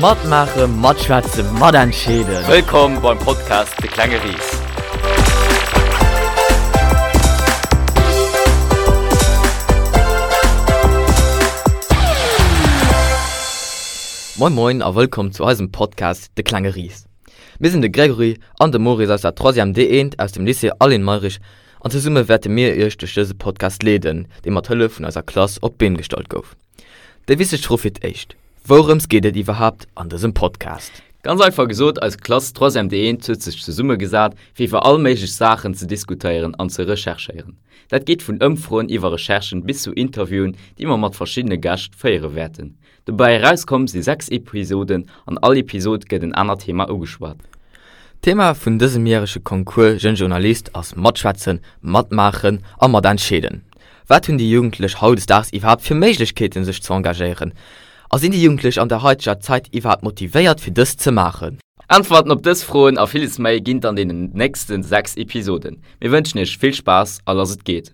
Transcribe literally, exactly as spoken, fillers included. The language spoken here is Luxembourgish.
Matmaachen, matschwätzen, matentscheeden. Wëllkomm beim Podcast De klenge Ris. Moin moin a wëllkomm zu eisem Podcast De klenge Ris. Mir sinn de Gregory an de Maurice aus der Troisième D eent aus dem Lycée Aline Mayrisch an zesumme wäerte mir iech duerch dëse Podcast leeden, dee mat Hëllef vun eiser Klass op d'Been gestallt gouf. Déi wichteg Fro fir d'éischt, Wourëms geet et iwwerhaapt an dësem Podcast? Ganz einfach gesot, eis Klass Troisième D eent huet sech zesummegesat, fir iwwer all méiglech Saachen ze diskutéieren an ze recherchéieren. Dat geet vun Ëmfroen iwwer Recherchen bis zu Interviewen, déi mer mat verschiddene Gäscht féiere wäerten. Dobäi erauskomm si sechs Episoden, an all Episod gëtt en anert Thema ugeschwat. D'Thema vun dësem järege Concours Jeune Journaliste ass Matschwätzen, Matmaachen a Matentscheeden. Wat hunn déi Jugendlech hautdesdaags iwwerhaapt fir Méiglechkeeten, sech ze engagéieren? A sinn déi Jugendlech an der haiteger Zäit iwwerhaapt motivéiert fir dëst ze maachen? Äntwerten op dës Froen a villes méi ginn et an deenen nächste sechs Episoden. Mir wënschen iech vill Spaass a lass et geet!